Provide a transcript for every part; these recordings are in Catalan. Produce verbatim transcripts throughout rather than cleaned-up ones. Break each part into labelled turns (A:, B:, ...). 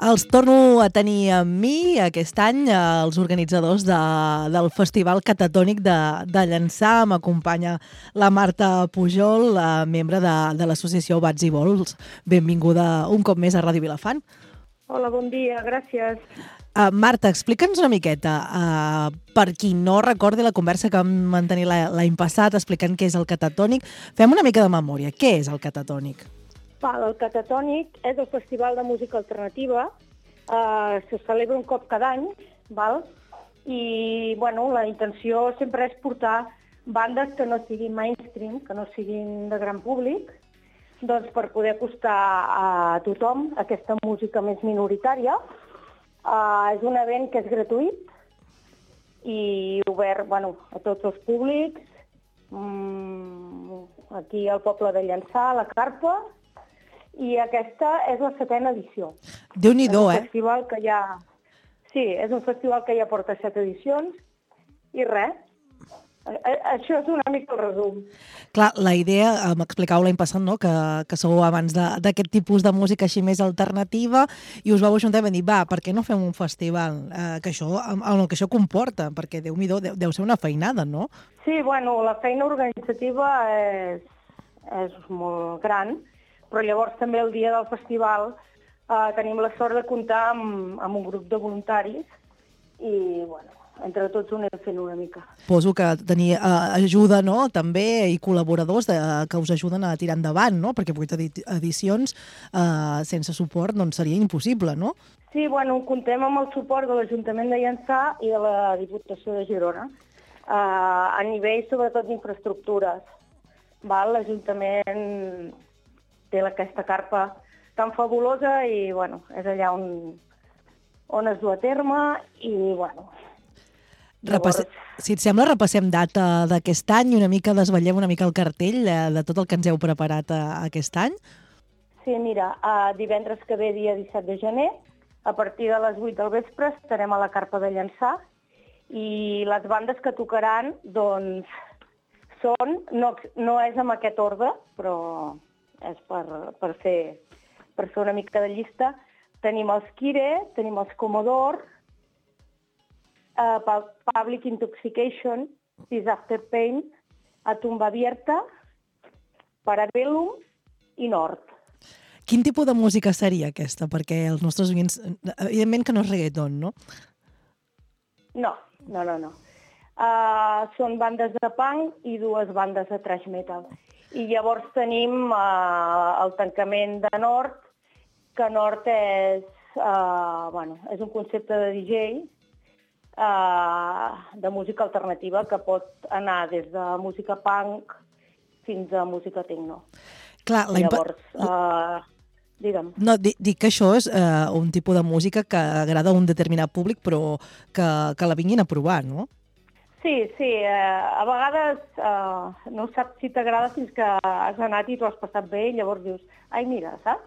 A: Els torno a tenir amb mi aquest any, eh, els organitzadors de, del Festival Catatònic de, de Llançà. M'acompanya la Marta Pujol, la membre de, de l'associació Bats i Vols. Benvinguda un cop més a Ràdio Vilafant.
B: Hola, bon dia, gràcies.
A: Uh, Marta, explica'ns una miqueta, uh, per qui no recordi la conversa que vam mantenir l'any passat explicant què és el Catatònic, fem una mica de memòria. Què és el Catatònic?
B: Val, el Catatònic és el festival de música alternativa, uh, se celebra un cop cada any, val? I bueno, la intenció sempre és portar bandes que no siguin mainstream, que no siguin de gran públic, doncs per poder acostar a tothom aquesta música més minoritària. Uh, és un event que és gratuït i obert bueno, a tots els públics, um, aquí al poble de Llançà, a la Carpa, i aquesta és la setena edició.
A: Déu-n'hi-do, eh?
B: Festival que ja... Sí, és un festival que ja porta set edicions i res. Això és una mica el resum.
A: Clar, la idea, m'explicàveu l'any passat, no?, que, que sou abans d'aquest tipus de música així més alternativa i us vau ajuntar i vam dir, va, per què no fem un festival? Eh, que això, el que això comporta, perquè Déu-n'hi-do, deu, deu ser una feinada, no?
B: Sí, bueno, la feina organitzativa és, és molt gran, però llavors també el dia del festival eh, tenim la sort de comptar amb, amb un grup de voluntaris i, bueno, entre tots ho anem fent una mica.
A: Poso que tenir eh, ajuda, no?, també, i col·laboradors de, que us ajuden a tirar endavant, no?, perquè vuit edicions eh, sense suport doncs seria impossible, no?
B: Sí, bueno, contem amb el suport de l'Ajuntament de Llançà i de la Diputació de Girona, eh, a nivell sobretot d'infraestructures. L'Ajuntament té aquesta carpa tan fabulosa i, bueno, és allà on, on es du a terme i, bueno...
A: Repasse... Si et sembla, repassem data d'aquest any i una mica desvetllem una mica el cartell eh, de tot el que ens heu preparat eh, aquest any.
B: Sí, mira, uh, divendres que ve, dia disset de gener, a partir de les vuit del vespre estarem a la Carpa de Llançà i les bandes que tocaran, doncs, són, no, no és amb aquest ordre, però és per, per, fer, per fer una mica de llista. Tenim els Kire, tenim els Commodore, Uh, Public Intoxication, Peace After Pain, A Tumba Abierta, Parabellum i Nord.
A: Quin tipus de música seria aquesta? Perquè els nostres oients, evidentment que no és reggaeton, no?
B: No, no, no, no. Uh, són bandes de punk i dues bandes de thrash metal. I llavors tenim uh, el tancament de Nord, que Nord és, uh, bueno, és un concepte de D J, Uh, de música alternativa que pot anar des de música punk fins a música techno.
A: Clar,
B: llavors, uh, digue'm.
A: No, dic que això és uh, un tipus de música que agrada a un determinat públic, però que, que la vinguin a provar, no?
B: Sí, sí. Uh, a vegades uh, no saps si t'agrada fins que has anat i t'ho has passat bé i llavors dius, ai, mira, saps?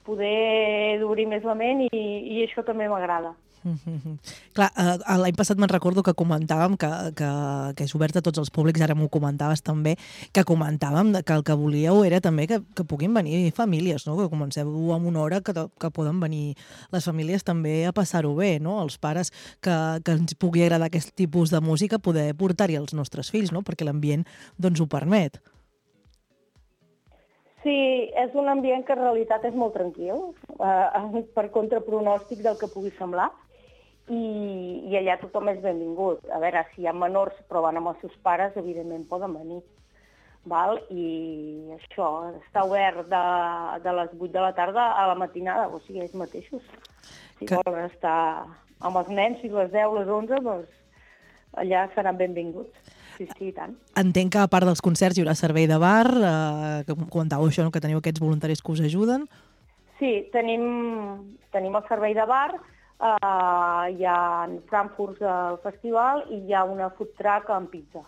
B: Poder d'obrir més la ment i, i això també m'agrada.
A: Mm-hmm. Clar, eh, l'any passat me'n recordo que comentàvem que, que, que és obert a tots els públics, ara m'ho comentaves també, que comentàvem que el que volíeu era també que, que puguin venir famílies, no? Que comenceu amb una hora que, que poden venir les famílies també a passar-ho bé, no? Els pares que, que ens pugui agradar aquest tipus de música, poder portar-hi els nostres fills, no? Perquè l'ambient doncs ho permet.
B: Sí, és un ambient que en realitat és molt tranquil, eh, per contrapronòstic del que pugui semblar. I, i allà tothom és benvingut. A veure, si hi ha menors però van amb els seus pares, evidentment poden venir. Val? I això, està obert de, de les vuit de la tarda a la matinada, o sigui, ells mateixos. Si que... volen estar amb els nens fins les deu, les onze, doncs allà seran benvinguts. Sí, sí, i tant.
A: Entenc que a part dels concerts hi haurà servei de bar, eh, que comentàveu això, no? Que teniu aquests voluntaris que us ajuden.
B: Sí, tenim, tenim el servei de bar. Uh, hi ha frankfurts al festival i hi ha una food truck amb pizza.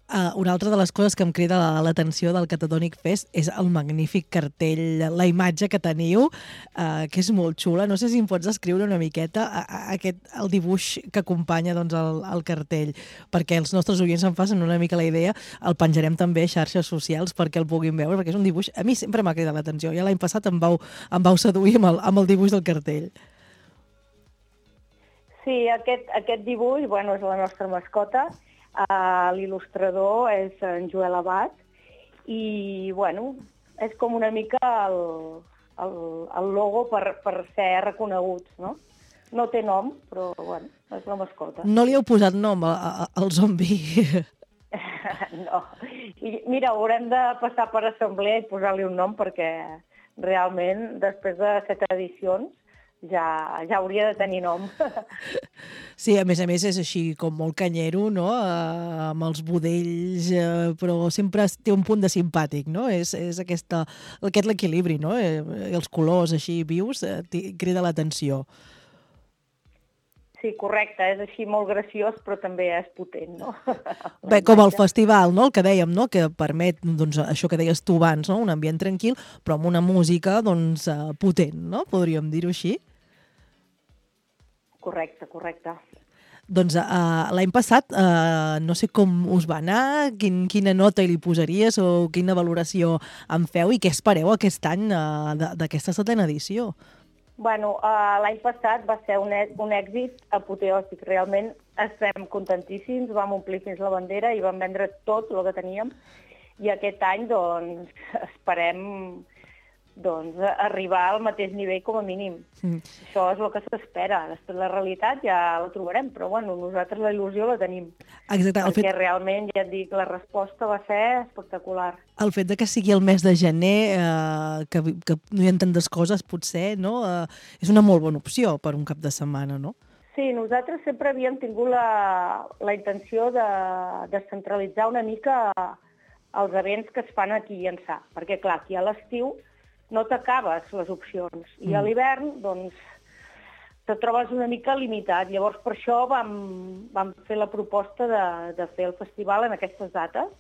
A: Uh, una altra de les coses que em crida la- l'atenció del Catatònic Fest és el magnífic cartell, la imatge que teniu, uh, que és molt xula. No sé si em pots descriure una miqueta a, a, aquest, el dibuix que acompanya doncs, el, el cartell, perquè els nostres oients se'n facin una mica la idea. El penjarem també a xarxes socials perquè el puguin veure, perquè és un dibuix... A mi sempre m'ha cridat l'atenció. Ja l'any passat em vau, em vau seduir amb el, amb el dibuix del cartell.
B: Sí, aquest, aquest dibuix, bueno, és la nostra mascota. Uh, L'il·lustrador és en Joel Abad i, bueno, és com una mica el, el, el logo per, per ser reconeguts, no? No té nom, però, bueno, és la mascota.
A: No li heu posat nom a, a, al zombi?
B: No. I, mira, haurem de passar per assemblea i posar-li un nom perquè realment, després de set edicions, ja, ja hauria de tenir nom.
A: Sí, a més a més és així com molt canyero, no? Uh, amb els budells, uh, però sempre té un punt de simpàtic, no? És, és aquesta, aquest l'equilibri, no? Eh, els colors així vius uh, crida l'atenció.
B: Sí, correcte, és així molt graciós, però també és potent, no?
A: Bé, com el festival, no? El que dèiem, no? Que permet, doncs, això que deies tu abans, no? Un ambient tranquil, però amb una música, doncs, uh, potent, no? Podríem dir-ho així.
B: Correcte, correcte.
A: Doncs uh, l'any passat, uh, no sé com us va anar, quin, quina nota li posaries o quina valoració en feu i què espereu aquest any uh, d'aquesta setena edició?
B: Bueno, uh, l'any passat va ser un, un èxit apoteòsic. Realment estem contentíssims, vam omplir fins la bandera i vam vendre tot el que teníem. I aquest any, doncs, esperem doncs, arribar al mateix nivell com a mínim. Mm. Això és el que s'espera. Després la realitat ja la trobarem, però bueno, nosaltres la il·lusió la tenim.
A: Exacte.
B: Perquè
A: fet...
B: realment, ja et dic, la resposta va ser espectacular.
A: El fet de que sigui el mes de gener, eh, que, que no hi ha tantes coses, potser, no? Eh, és una molt bona opció per un cap de setmana, no?
B: Sí, nosaltres sempre havíem tingut la, la intenció de descentralitzar una mica els events que es fan aquí a Ençà. Perquè, clar, aquí a l'estiu no t'acabes les opcions. I mm. a l'hivern, doncs, te trobes una mica limitat. Llavors, per això vam, vam fer la proposta de, de fer el festival en aquestes dates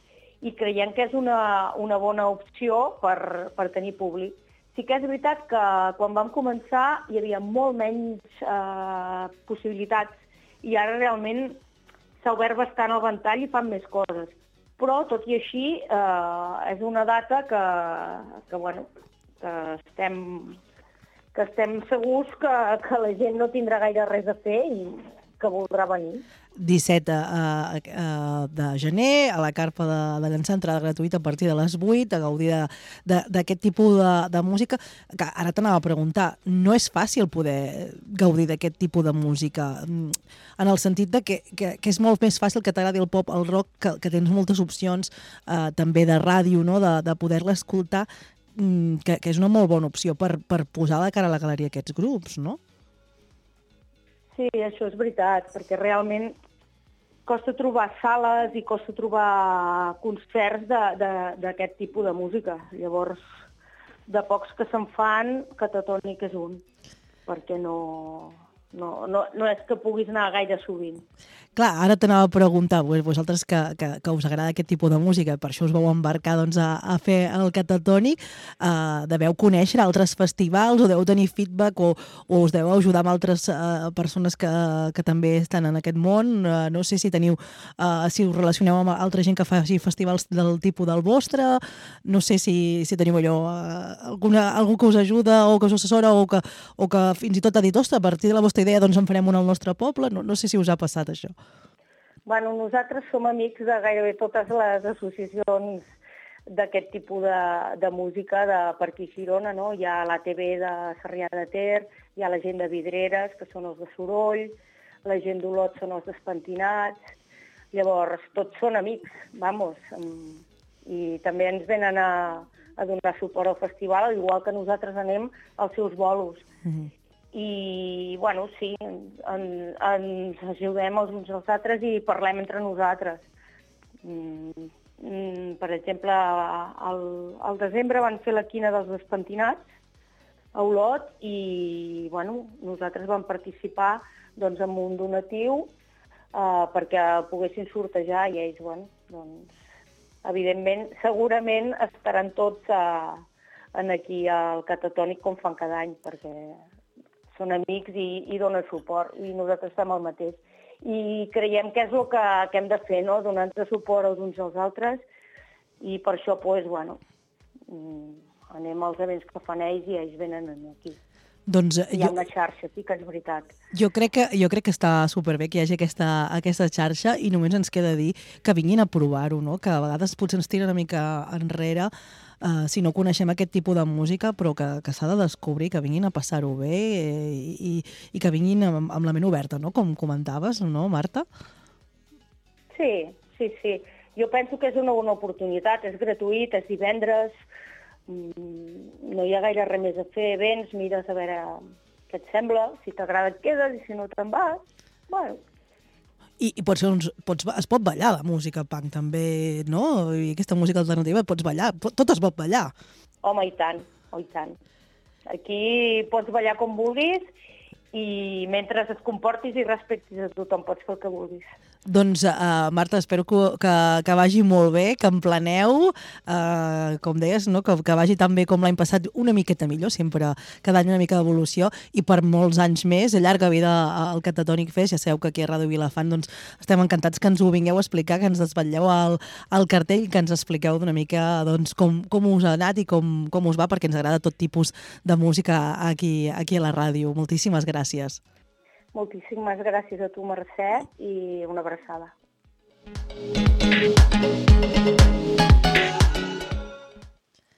B: i creiem que és una, una bona opció per, per tenir públic. Sí que és veritat que quan vam començar hi havia molt menys eh, possibilitats i ara realment s'ha obert bastant el ventall i fan més coses. Però, tot i així, eh, és una data que, que bueno, que estem, que estem segurs que, que la gent no tindrà gaire res a fer i que voldrà venir.
A: disset uh, uh, de gener, a la carpa de, de llançar entrada gratuïta a partir de les vuit, a gaudir d'aquest tipus de, de música. Que ara t'anava a preguntar, no és fàcil poder gaudir d'aquest tipus de música, en el sentit de que, que, que és molt més fàcil que t'agradi el pop, el rock, que, que tens moltes opcions uh, també de ràdio, no? de, de poder-la escoltar, Que, que és una molt bona opció per, per posar de cara a la galeria aquests grups, no?
B: Sí, això és veritat, perquè realment costa trobar sales i costa trobar concerts d'aquest tipus de música. Llavors, de pocs que se'n fan, Catatònic és un, perquè no, no, no, no és que puguis anar gaire sovint.
A: Clar, ara t'anava a preguntar, vosaltres que, que, que us agrada aquest tipus de música, per això us vau embarcar doncs, a, a fer el Catatònic, eh, deveu conèixer altres festivals o deu tenir feedback o, o us deu ajudar amb altres eh, persones que, que també estan en aquest món. Eh, no sé si teniu, eh, si us relacioneu amb altra gent que faci festivals del tipus del vostre, no sé si, si teniu allò, eh, alguna, algú que us ajuda o que us assessora o que, o que fins i tot ha dit, ostres, a partir de la vostra idea doncs en farem una al nostre poble. No, no sé si us ha passat això.
B: Bueno, nosaltres som amics de gairebé totes les associacions d'aquest tipus de, de música de per aquí Girona, no? Hi ha l'A T B de Sarrià de Ter, hi ha la gent de Vidreres, que són els de Soroll, la gent d'Olot són els despentinats, llavors tots són amics, vamos, i també ens venen a, a donar suport al festival, igual que nosaltres anem als seus bolos. Mm-hmm. I, bueno, sí, en, ens ajudem els uns als altres i parlem entre nosaltres. Mm, mm, per exemple, al, al desembre van fer la quina dels despentinats a Olot i, bueno, nosaltres vam participar doncs, amb un donatiu eh, perquè el poguessin sortejar i ells, bueno, doncs, evidentment, segurament estaran tots a, en aquí al Catatònic com fan cada any, perquè són amics i, i donen suport, i nosaltres fem el mateix. I creiem que és el que, que hem de fer, no? Donar-nos suport els uns als altres, i per això, pues, bueno, anem als events que fan ells i ells venen aquí.
A: Doncs,
B: hi ha
A: jo,
B: una xarxa, sí que és veritat.
A: Jo crec que, jo crec que està superbé que hi hagi aquesta, aquesta xarxa i només ens queda dir que vinguin a provar-ho, no? Que a vegades potser ens tira una mica enrere uh, si no coneixem aquest tipus de música, però que, que s'ha de descobrir, que vinguin a passar-ho bé eh, i, i que vinguin amb, amb la ment oberta, no? Com comentaves, no, Marta?
B: Sí, sí, sí. Jo penso que és una bona oportunitat, és gratuït, és divendres, no hi ha gaire res més a fer, vens, mires a veure què et sembla, si t'agrada et quedes i si no te'n vas, bueno.
A: I, i pots, uns, pots, es pot ballar la música punk també, no? I aquesta música alternativa pots ballar, tot es pot ballar.
B: Home, i tant, oh, i tant. Aquí pots ballar com vulguis i mentre et comportis i respectis a tothom pots fer el que vulguis.
A: Doncs, uh, Marta, espero que, que, que vagi molt bé, que en planeu, uh, com deies, no? que, que vagi tan bé com l'any passat, una miqueta millor, sempre cada any una mica d'evolució, i per molts anys més, a llarga vida al Catatònic Fest, ja sabeu que aquí a Ràdio Vilafant doncs, estem encantats que ens ho vingueu a explicar, que ens desvetlleu el, el cartell, que ens expliqueu d'una mica doncs, com, com us ha anat i com, com us va, perquè ens agrada tot tipus de música aquí, aquí a la ràdio. Moltíssimes gràcies.
B: Moltíssimes gràcies a tu, Mercè, i una abraçada.